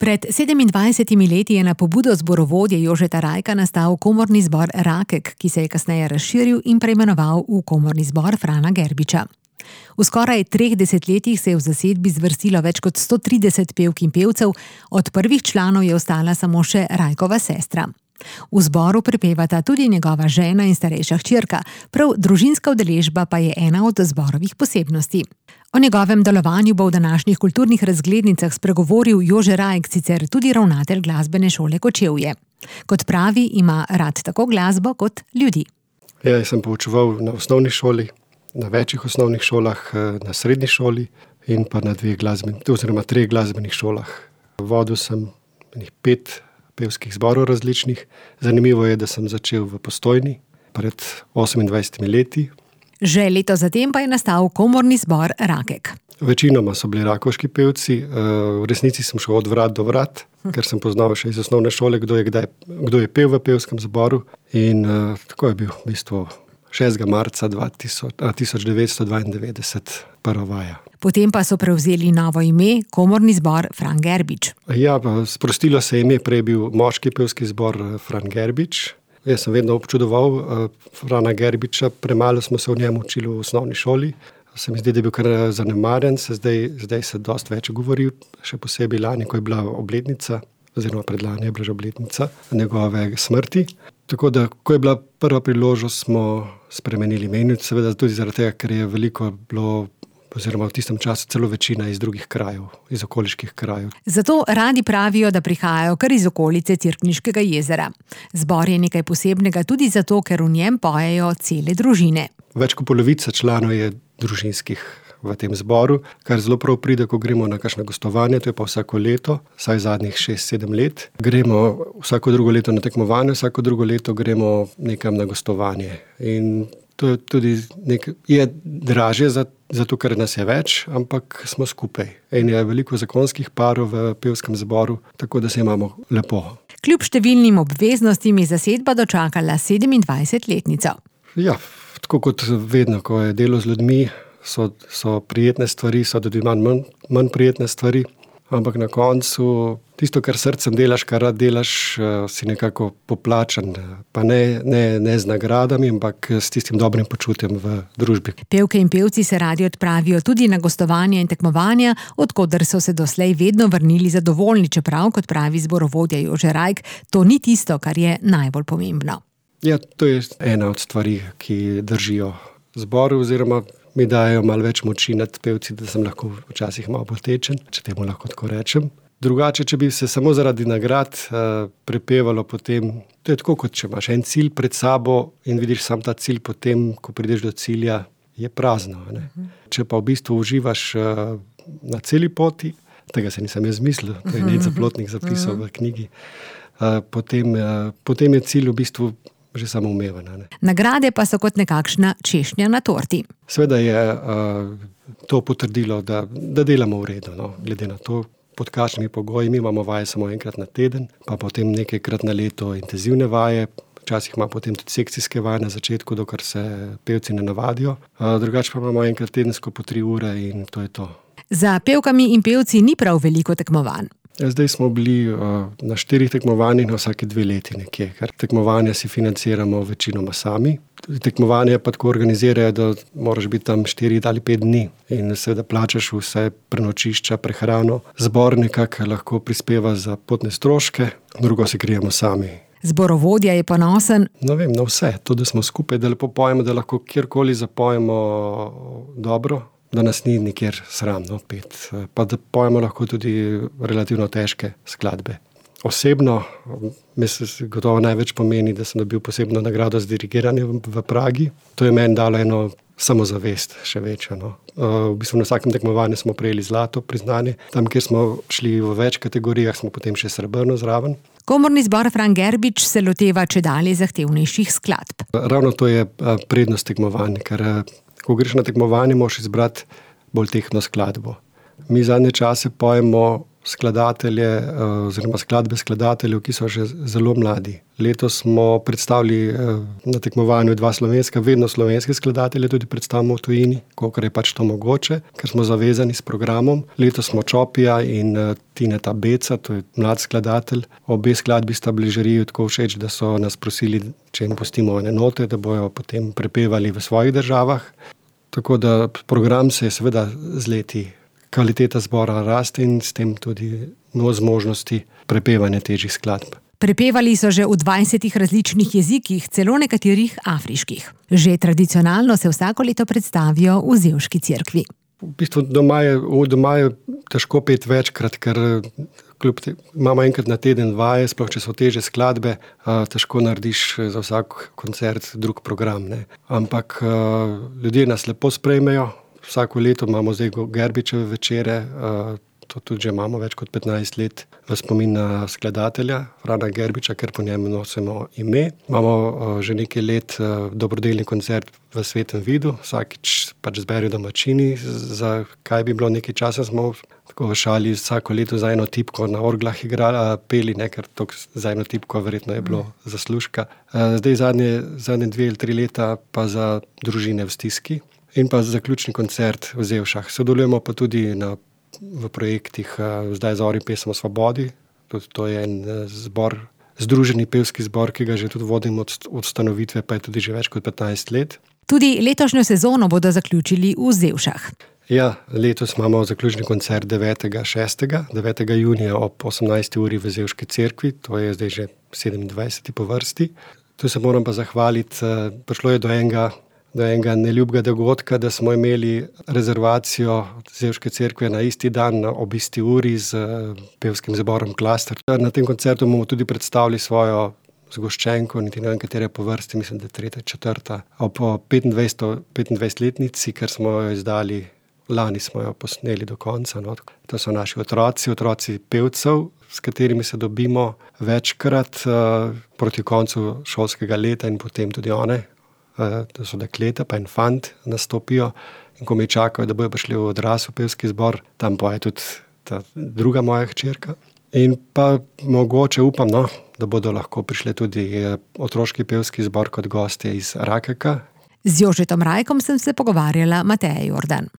Pred 27 leti je na pobudo zborovodje Jožeta Rajka nastal komorni zbor Rakek, ki se je kasneje razširil in preimenoval v komorni zbor Frana Gerbiča. V skoraj 3 desetletjih se je v zasedbi zvrstilo več kot 130 pevk in pevcev, od prvih članov je ostala samo še Rajkova sestra. V zboru prepevata tudi njegova žena in starejša hčerka, prav družinska udeležba pa je ena od zborovih posebnosti. O njegovem delovanju bo v današnjih kulturnih razglednicah spregovoril Jože Rajk, sicer tudi ravnatelj glasbene šole Kočevje. Kot pravi, ima rad tako glasbo kot ljudi. Jaz sem poučeval na osnovni šoli, na večjih osnovnih šolah, na srednji šoli in pa na 3 glasbenih šolah. Vodil sem 5 pevskih zborov različnih. Zanimivo je, da sem začel v Postojni pred 28 leti. Že leto zatem pa je nastal komorni zbor Rakek. Večinoma so bili rakovški pevci, v resnici sem šel od vrat do vrat, ker sem poznal še iz osnovne šole, kdo je pel v pevskem zboru. In tako je bil v bistvu 6. marca 1992 prva vaja. Potem pa so prevzeli novo ime, komorni zbor Fran Gerbič. Ja, sprostilo se ime, prej je bil moški pevski zbor Fran Gerbič. Jaz sem vedno občudoval Frana Gerbiča, premalo smo se o njem učili v osnovni šoli. Se mi zdi, da je bil kar zanemarjen, zdaj se dosti več govori, še posebej lani, ko je bila obletnica, oziroma predlani je bila že obletnica njegove smrti. Tako da, ko je bila prva priložnost, smo spremenili ime, seveda tudi zaradi tega, ker je veliko bilo, oziroma v tistem času celo večina iz drugih krajev, iz okoliških krajev. Zato radi pravijo, da prihajajo kar iz okolice Cerkniškega jezera. Zbor je nekaj posebnega tudi zato, ker v njem pojejo cele družine. Več kot polovica članov je družinskih v tem zboru, kar zelo prav pride, ko gremo na kakšno gostovanje, to je pa vsako leto, vsaj zadnjih 6-7 let. Gremo vsako drugo leto na tekmovanje, vsako drugo leto gremo nekam na gostovanje. In to je tudi je dražje zato, ker nas je več, ampak smo skupaj. In je veliko zakonskih parov v pevskem zboru, tako da se imamo lepo. Kljub številnim obveznostim je zasedba dočakala 27-letnico. Ja, tako kot vedno, ko je delo z ljudmi, so prijetne stvari, so tudi manj prijetne stvari, ampak na koncu tisto, kar srcem delaš, kar rad delaš, si nekako poplačan, pa ne z nagradami, ampak s tistim dobrim počutjem v družbi. Pevke in pevci se radi odpravijo tudi na gostovanja in tekmovanja, od koder so se doslej vedno vrnili zadovoljni, čeprav, kot pravi zborovodja Jože Rajk, to ni tisto, kar je najbolj pomembno. Ja, to je ena od stvari, ki držijo zboru, oziroma mi dajo malo več moči nad pevci, da sem lahko včasih malo bolj tečen, če temu lahko tako rečem. Drugače, če bi se samo zaradi nagrad prepevalo potem, to je tako, kot če imaš en cilj pred sabo in vidiš sam ta cilj, potem, ko prideš do cilja, je prazno. Ne? Če pa v bistvu uživaš na celi poti, tega se nisem jaz mislil, to je Nejc Zaplotnik zapisal v knjigi, potem je cilj v bistvu že samoumeven. Nagrade pa so kot nekakšna češnja na torti. Seveda je to potrdilo, da delamo v redu, no, glede na to, pod kakšnimi pogoji. Mi imamo vaje samo enkrat na teden, pa potem nekajkrat na leto intenzivne vaje, včasih ima potem tudi sekcijske vaje na začetku, dokler se pevci ne navadijo. Drugače pa imamo enkrat tedensko po 3 ure in to je to. Za pevkami in pevci ni prav veliko tekmovanj. Zdaj smo bili na 4 tekmovanjih na vsake 2 leti nekje, ker tekmovanja si financiramo večinoma sami. Tekmovanje pa tako organizirajo, da moraš biti tam 4 ali 5 dni in seveda plačaš vse prenočišča, prehrano. Zbor nekako lahko prispeva za potne stroške, drugo si krijemo sami. Zborovodja je ponosen. Na vse, to, da smo skupaj, da lepo pojemo, da lahko kjerkoli zapojemo dobro, da nas ni nikjer sramno pet, pa da pojemo lahko tudi relativno težke skladbe. Osebno, mislim, gotovo največ pomeni, da sem dobil posebno nagrado za dirigiranje v Pragi. To je meni dalo eno samozavest še večjo. No. V bistvu na vsakem tekmovanju smo prejeli zlato priznanje. Tam, kjer smo šli v več kategorijah, smo potem še srebrno zraven. Komorni zbor Fran Gerbič se loteva čedalje zahtevnejših skladb. Ravno to je prednost tekmovanja, ker ko greš na tekmovanje, moraš izbrati bolj tehtno skladbo. Mi zadnje čase pojemo skladatelje oziroma skladbe skladateljev, ki so že zelo mladi. Letos smo predstavili na tekmovanju 2 slovenska, vedno slovenske skladatelje tudi predstavimo v tujini, kolikor je pač to mogoče, ker smo zavezani s programom. Letos smo Čopija in Tineta Beca, to je mlad skladatelj. Obe skladbi sta bili žiriji tako všeč, da so nas prosili, če jim pustimo ene note, da bojo potem prepevali v svojih državah. Tako da program se je seveda z leti, kvaliteta zbora raste in s tem tudi zmožnosti prepevanja težjih skladb. Prepevali so že v 20 različnih jezikih, celo nekaterih afriških. Že tradicionalno se vsako leto predstavijo v Zevški cerkvi. V bistvu doma je težko peti večkrat, ker imamo enkrat na teden vaje, sploh če so težje skladbe, težko narediš za vsak koncert drug program, ne. Ampak ljudje nas lepo sprejmejo. Vsako leto imamo zdaj Gerbičeve večere, to tudi že imamo več kot 15 let v spomin na skladatelja Frana Gerbiča, ker po njem nosimo ime. Imamo že nekaj let dobrodelni koncert v Svetem Vidu, vsakič pač zberejo domačini, za kaj bi bilo nekaj časa, smo tako v šali vsako leto za eno tipko na orglah peli, ne, ker za eno tipko verjetno je bilo zaslužka. Zdaj zadnje 2 ali 3 leta pa za družine v stiski. In pa zaključni koncert v Zevšah. Sodelujemo pa tudi v projektih Zdaj zori pesem o svobodi. Tudi to je en zbor, združeni pevski zbor, ki ga že tudi vodim od ustanovitve, pa je tudi že več kot 15 let. Tudi letošnjo sezono bodo zaključili v Zevšah. Ja, letos imamo zaključni koncert 9. junija ob 18. uri v Zevški cerkvi, to je zdaj že 27. po vrsti. Tu se moram pa zahvaliti, prišlo je do enega neljubega dogodka, da smo imeli rezervacijo Zevške cerkve na isti dan ob isti uri z pevskim zborom Klaster. Na tem koncertu bomo tudi predstavili svojo zgoščenko, niti ne vem, katere po vrsti, mislim, da 3., 4. ob 25-letnici, ker smo jo izdali, lani smo jo posneli do konca. No. To so naši otroci pevcev, s katerimi se dobimo večkrat proti koncu šolskega leta in potem tudi one. To so dekleta, pa en fant nastopijo in ko me čakajo, da bojo prišli v odrasel pevski zbor, tam pa je tudi ta druga moja hčerka. In pa mogoče upam, da bodo lahko prišli tudi otroški pevski zbor kot gostje iz Rakeka. Z Jožetom Rajkom sem se pogovarjala Mateja Jordan.